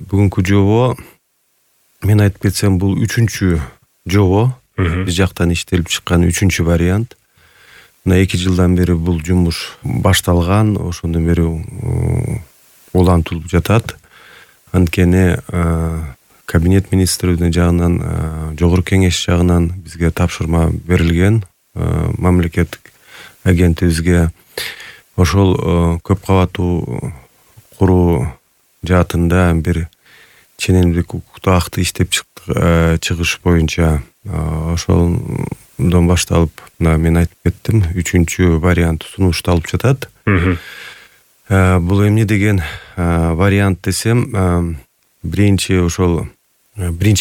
Бүгүнкү жобо мен айтып кетсем бул 3-чү жобо. Биз жактан иштелип чыккан 3-чү вариант. Мына 2 жылдан бери бул жумуш башталган, ошондон бери улантылып жатат. Анткени кабинет министрлиги жагынан, жогорку кеңеш жагынан бизге тапшырма берилген, мамлекеттик агенттигибизге ошол көп кабаттуу куруу жаатында бир ченемдик укуктуу акты иштеп чыгыш боюнча ошондон башталып, мына мен айтып кеттим, 3-чү вариант сунушталып жатат. Бул эмне деген вариант десем, биринчи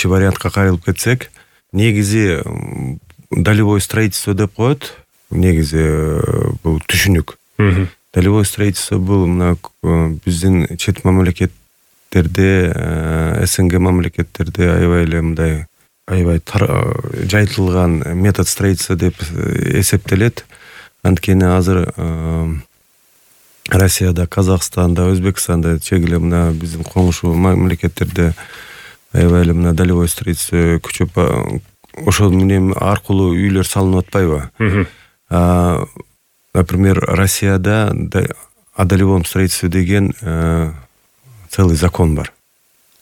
вариантка кайрылып кетсек, негизи долевое строительство деп коет. Негизи бул түшүнүк. Долевое строительство бул мына биздин чет мамлекеттерде, СНГ мамлекеттерде аябай жайтылган метод строительства деп эсептелет. Анткени азыр Россияда, Казакстанда, Өзбекстанда чегиле мына биздин коңшу мамлекеттерде аябай эле мына долевое строительство күчөп, ошол менен аркылуу үйлөр салынып атпайбы? Например, Россияда о долевом строительстве деген целый закон бар.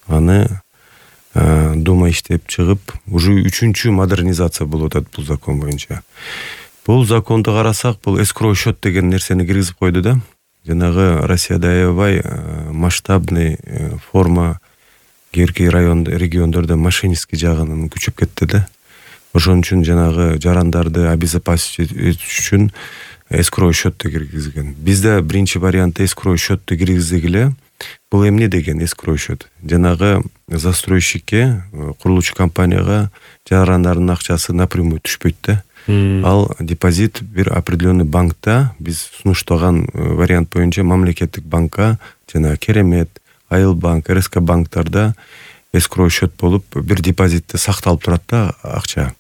Аны Дума иштеп чыгып, уже 3-чү модернизация болуп атат бул закон боюнча. Бул законду карасак, бул эскроу счет деген нерсени киргизип койду да. Жанагы Россияда аябай масштабный форма кээ региондордо мошеннический жагынан күчөп кетти да. Ошон үчүн жанагы жарандарды обезопасить этиш үчүн эскроу счетты киргизген. Бизде биринчи вариантта эскроу счетты киргиздик эле. Бул эмне деген эскроу счет? Жанагы застройщикке, курулуучу компанияга жарандардын акчасы напрямую түшпөйт да. Ал депозит бир определенный банкта, биз сунуштаган вариант боюнча мамлекеттик банкка, жана Керемет, Айыл банк, РСК банктарда эскроу счет болуп бир депозитте сакталып турат да акча.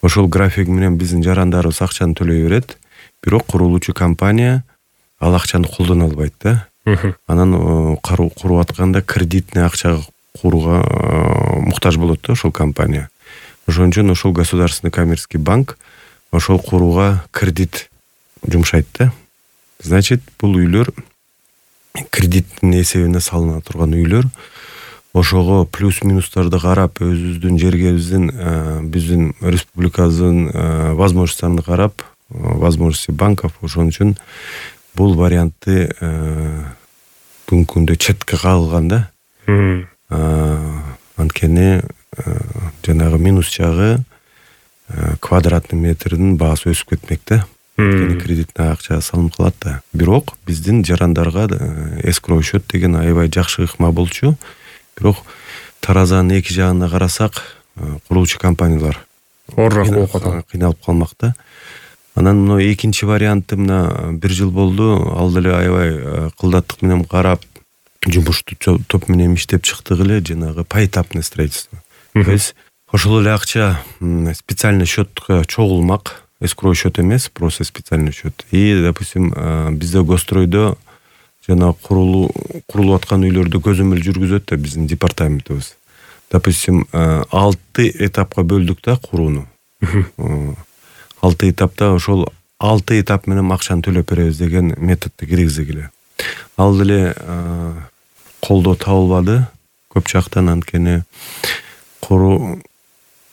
Ошол график менен биздин жарандарыбыз акчаны төлөй берет, бирок курулуучу компания ал акчаны колдоно албайт да. Анан куруп атканда кредитный акчага курууга муктаж болот да ошол компания. Ошон үчүн ошол государственный коммерческий банк ошол курууга кредит жумшайт да. Значит, бул үйлөр кредиттин эсебине салына турган үйлөр. Ошого плюс-минустарды карап, өзүбүздүн жергебиздин, биздин республикабыздын возможностьтарын карап, возможности банков, ошон үчүн бул вариантты бүгүнкү күндө четке кагылган да. Анткени жанагы минус жагы квадратный метрдин баасы өсүп кетмек да. Анткени кредитный акча салынып калат да. Бирок биздин жарандарга эскроу счет деген аябай жакшы ыкма болчу. Бирок таразанын эки жагына карасак, курулуучу компаниялар оорураак болуп калат, кыйналып калмак да. Анан мына экинчи вариантты мына 1 жыл болду, ал деле аябай кылдаттык менен карап, жумушту топ менен иштеп чыктык эле, жанагы поэтапный строительство. То есть ошол эле акча специальный счетко чогулмак, эскроу счет эмес, просто специальный счет. И, допустим, бизде гостройдо жана курулуп аткан үйлөрдү көзөмөл жүргүзөт да биздин департаментибиз. Допустим, 6 этапка бөлдүк да курууну. 6 этапта ошол 6 этап менен акчаны төлөп беребиз деген методду киргиздик эле. Ал деле колдоо табылбады көп жактан, анткени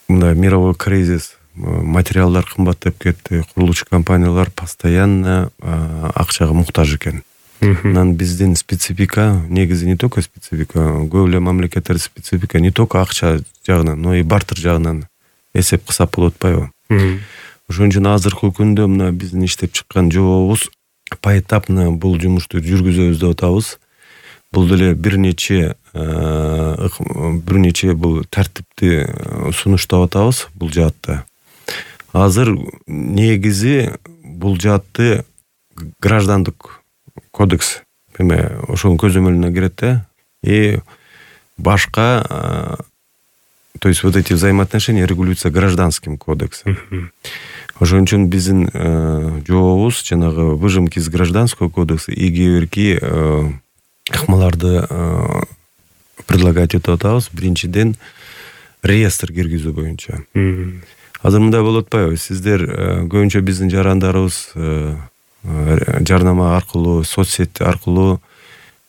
мындай мировой кризис, материалдар кымбаттап кетти, курулуучу компаниялар постоянно акчага муктаж экен. Анан биздин специфика, негизи не только специфика, көп эле мамлекеттер специфика, не только акча жагынан, но и бартер жагынан эсеп кысап болуп атпайбы? Ошон үчүн азыркы күндө мына биздин иштеп чыккан жобобуз поэтапно бул жумушту жүргүзөбүз деп атабыз. Бул деле бир нече бул тартипти сунуштап атабыз бул жаатта. Азыр негизи бул жаатты граждандык кодекс ошонун көзөмөлүнө кирет да. И башка, то есть вот эти взаимоотношения регулируются гражданским кодексом. Ошон үчүн биздин жобобуз жанагы выжимки из гражданского кодекса и кээ бирки ыкмаларды предлагать этип атабыз. Биринчиден реестр киргизүү боюнча. Азыр мындай болуп атпайбы? Сиздер көбүнчө биздин жарандарыбыз жарнама аркылуу, соц сети аркылуу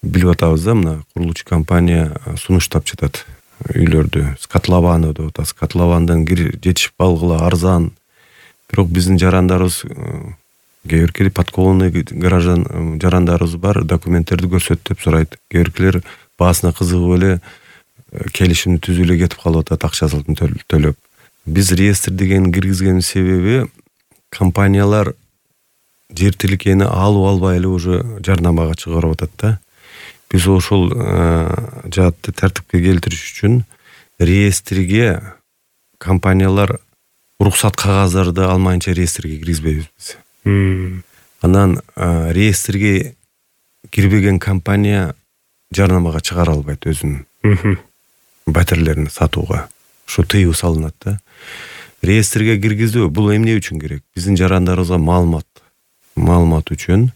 билип атабыз да, мына курулуучу компания сунуштап жатат үйлөрдү. С котлованы деп атат. Котловандан жетишип алгыла арзан. Бирок биздин жарандарыбыз кээ биркери подкованный жарандарыбыз бар, документтерди көрсөт деп сурайт. Кээ биркилер баасына кызыгып эле келишимди түзүп эле кетип калып атат, акчасын төлөп. Биз реестр деген киргизгенин себеби компаниялар жер тилкени алып албай эле уже жарнамага чыгарып атат да. Биз ошол жаатты тартипке келтириш үчүн реестрге компаниялар уруксат кагаздарды алмайынча реестрге киргизбейбиз биз. Анан реестрге кирбеген компания жарнамага чыгара албайт өзүнүн батирлерин сатууга. Ошо тыюу салынат да. Реестрге киргизүү бул эмне үчүн керек? Биздин жарандарыбызга маалымат үчүн.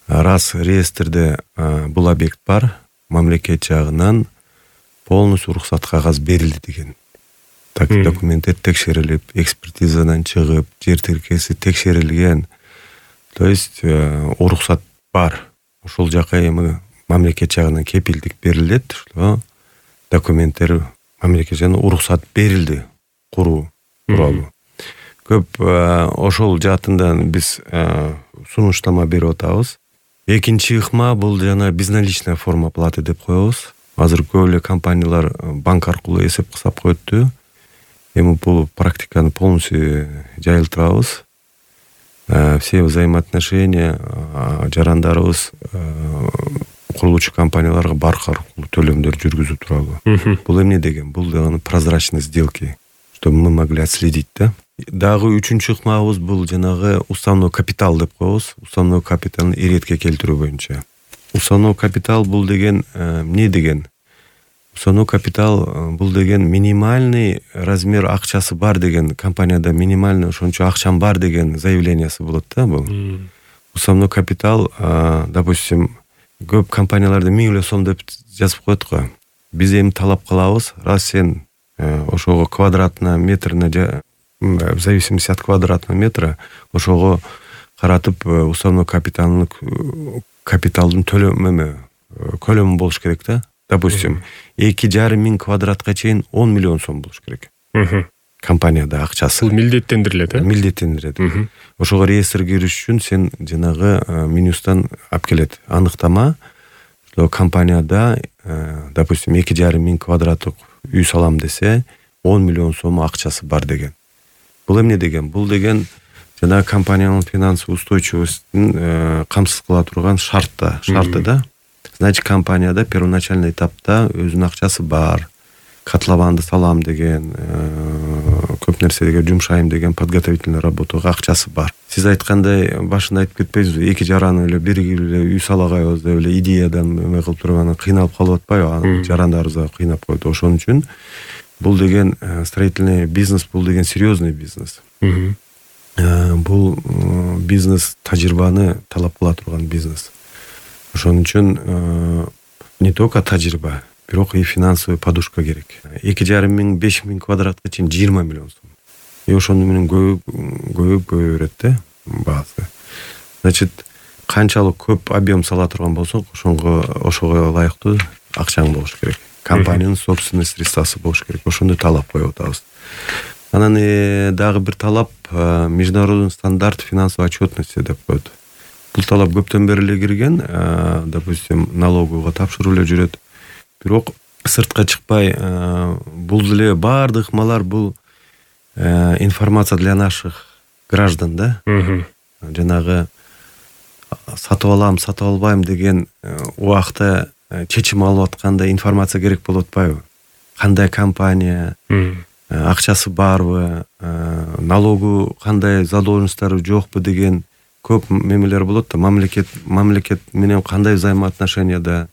Раз реестрде бул объект бар, мамлекет жагынан полностью уруксат кагаз берилди деген. Так документтер текшерилип, экспертизадан чыгып, жер тилкеси текшерилген. То есть уруксат бар. Ошол жака эми мамлекет жагынан кепилдик берилет, что документтер мамлекет жагынан уруксат берилди куруу тууралуу. Көп ошол жаатындан биз сунуштама берип атабыз. Экинчи ыкма бул жана безналичная форма оплаты деп коебуз. Азыр көп эле компаниялар банк аркылуу эсеп кысап коетту. Эми бул практиканы полностью жайылтырабыз. Все взаимоотношения жарандарыбыз курулуучу компанияларга банк аркылуу төлөмдөр жүргүзүү тууралуу. Бул эмне деген? Бул дегени прозрачность сделки, чтобы мы могли отследить, да? Дагы үчүнчү ыкмабыз бул жанагы уставной капитал деп коебуз. Уставной капиталды иретке келтирүү боюнча. Уставной капитал бул деген эмне деген? Уставной капитал бул деген минимальный размер акчасы бар деген, компанияда минимальный ошончо акчам бар деген заявлениясы болот да бул. Уставной капитал, допустим, көп компанияларда 1000 эле сом деп жазып коет го. Биз эми талап кылабыз, раз сен ошого квадратна метрина, в зависимости от квадратного метра, ошого каратып уставной капиталдын көлөмү болуш керек да. Допустим, 2,5 квадратка чейин 10 миллион сом болуш керек. Компанияда акчасы. Бул милдеттендирилет, э? Милдеттендирилет. Ошого реестрге кириш үчүн сен жанагы менюстан алып келет анықтама, что компанияда, допустим, 2,5 квадраттык үй салам десе, 10 миллион сом акчасы бар деген. Бул эмне деген? Бул деген жана компаниянын финансовый устойчивостун камсыз кыла турган шарты да. Значит, компанияда первоначальный этапта өзүнүн акчасы бар. Котлованды салам деген, көп нерседеге жумшайм деген подготовительный работага акчасы бар. Сиз айткандай башында айтып кетпейсизби? Эки жараны эле биригип эле үй салагайбыз деп эле идеядан эме кылып турган кыйналып калып атпайбы? Жарандарыбызга кыйнап койду. Ошон үчүн бул деген строительный бизнес, бул деген серьезный бизнес. Бул бизнес тажрыйбаны талап кыла турган бизнес. Ошон үчүн не только тажрыйба, бирок и финансовый подушка керек. 2,5-5 квадратка чейин 20 миллион сом. И ошону менен көбөйүп берет да баасы. Значит, канчалык көп объем сала турган болсоң, ошого ылайыктуу акчаң болуш керек. Компаниянын собственный средствасы болуш керек. Ошондой талап коюп атабыз. Анан дагы бир талап международный стандарт финансовой отчетности деп коет. Бул талап көптөн бери эле кирген, допустим, налогового тапшырып эле жүрөт. Бирок сыртка чыкпай, бул деле баардык ыкмалар бул информация для наших граждан, да? Жанагы сатып алам, сатып албайм деген убакта чечим алып атканда информация керек болуп атпайбы? Кандай компания, акчасы барбы, налогу кандай задолженносттору жокпу деген көп мемелер болот да. Мамлекет менен кандай взаимоотношенияда,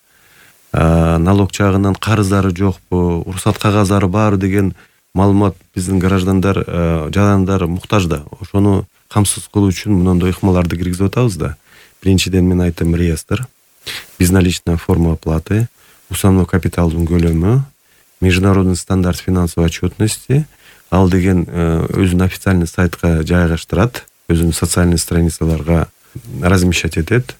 налог жагынан карыздары жокпу, уруксат кагаздары бар деген маалымат биздин жарандар муктаж да. Ошону камсыз кылуу үчүн мындай ыкмаларды киргизип атабыз да. Биринчиден мен айттым реестр, безналичная форма оплаты, уставной капиталдын көлөмү, международный стандарт финансовой отчетности, ал деген өзүнүн официальный сайтка жайгаштырат, өзүнүн социальный страницаларга размещать этет.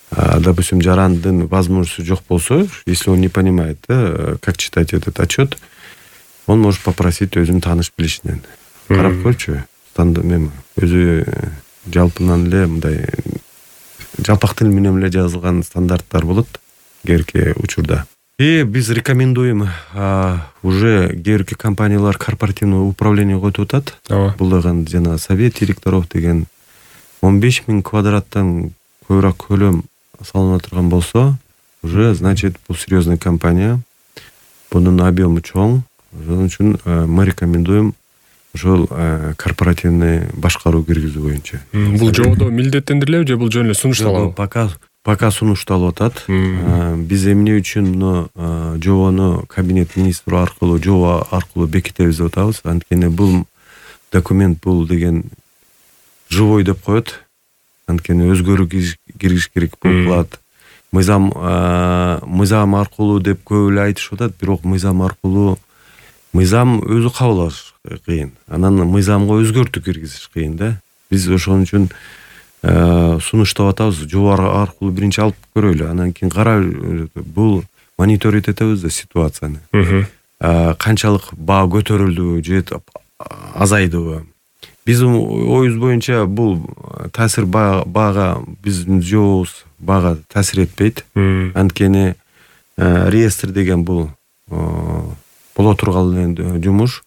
Допустим, жарандын возможности жок болсо, если он не понимает, как читать этот отчет, он может попросить өзүнүн тааныш билишинен. Карап көрчү, өзү жалпынан эле мындай жалпак тил менен эле жазылган стандарттар болот кээрки учурда. И биз рекомендуем уже кээрки компаниялар корпоративный управление койтуп атат. Бул деген жана совет директоров деген 15 000 квадраттан көбүрөөк көлөм салына турган болсо, уже значит бул серьезный компания, бунун объему чоң. Ошон үчүн мы рекомендуем ошол корпоративный башкаруу киргизүү боюнча. Бул жободо милдеттендирилеби же бул жөн эле сунушталабы? Пока сунушталып атат. Биз эмне үчүн муну жобону кабинет министри аркылуу, жоба аркылуу бекитебиз деп атабыз. Анткени бул документ бул деген живой деп коет. Анткени өзгөрүү киргизиш керек болот. Мыйзам аркылуу деп көп эле айтышып атат, бирок мыйзам аркылуу мыйзам өзү кабыл алыш кыйын. Анан мыйзамга өзгөртүү киргизиш кыйын да. Биз ошон үчүн сунуштап атабыз. Жоба аркылуу биринчи алып көрөлү, анан кийин карап бул мониторить этебиз да ситуацияны. Канчалык баа көтөрүлдүбү же азайдыбы. Биздин оюбуз боюнча бул таасир баага биздин жобобуз баага таасир этпейт. Анткени реестр деген бул боло турган эле жумуш.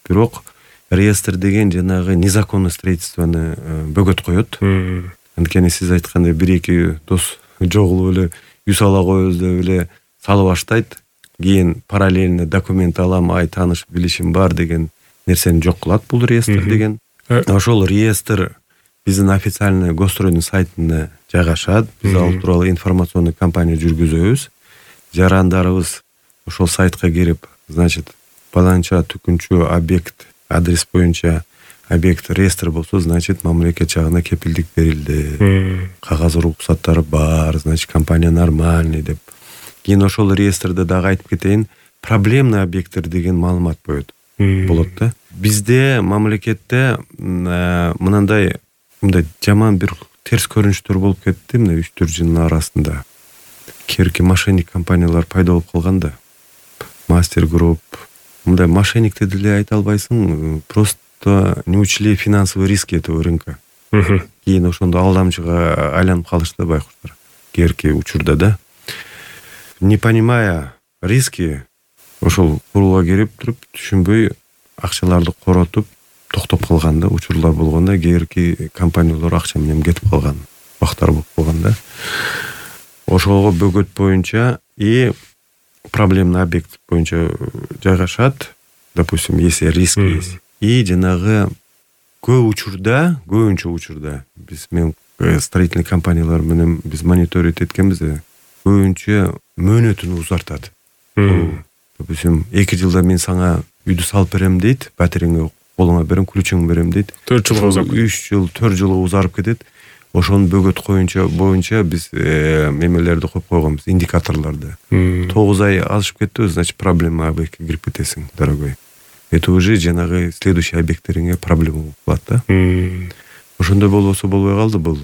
Бирок реестр деген жанагы незаконный строительствону бөгөт коет. Анткени сиз айткандай 1-2 дос жогулуп эле үй сала коебуз деп эле салып баштайт. Кийин параллельно документ алам, тааныш билишим бар деген нерсени жок кылат бул реестр деген. Ошол реестр биздин официальный госстройдун сайтына жайгашат. Биз ал тууралуу информационный кампания жүргүзөбүз. Жарандарыбыз ошол сайтка кирип, значит, баланча түкүнчү объект адрес боюнча объект реестр болсо, значит, мамлекет жагына кепилдик берилди. Кагаз уруксаттары бар, значит, компания нормальный деп. Кийин ошол реестрде дагы айтып кетейин, проблемный объекттер деген маалымат болот да. Бизде мамлекетте мындай жаман бир терс көрүнүштөр болуп кетти мына 3-4 жылдын арасында. Кээрки мошенник компаниялар пайда болуп калган да. Мастер групп. Мындай мошенник деле айта албайсың, просто не учли финансовые риски этого рынка. Кийин ошондо алдамчыга айланып калышты байкуштар. Кээрки учурда да. Не понимая риски, ошол курулга кирип туруп түшүнбөй акчаларды коротуп токтоп калган да, учурлар болгондо кээрки компаниялар акча менен кетип калган, бактар болуп калган да. Ошого бөгөт боюнча и проблемный объект боюнча жайгашат. Допустим, если риск есть. И жанагы көбүнчө учурда биз строительный компаниялар менен биз мониторить эткенбиз, көбүнчө мөөнөтүн узартат. Допустим, 2 жылда мен сага үйдү салып берем дейт, батириңи колуңа берем, ключуңду берем дейт. 4 жылга узап, 3 жыл, 4 жылга узарып кетет. Ошонун бөгөт боюнча биз эмелерди коюп койгонбуз, индикаторлорду. 9 ай азышып кетти, значит, проблема объектке кирип кетесиң, дорогой. Это уже жанагы следующий объекттериңе проблема болуп калат да. Ошондой болбосо болбой калды бул.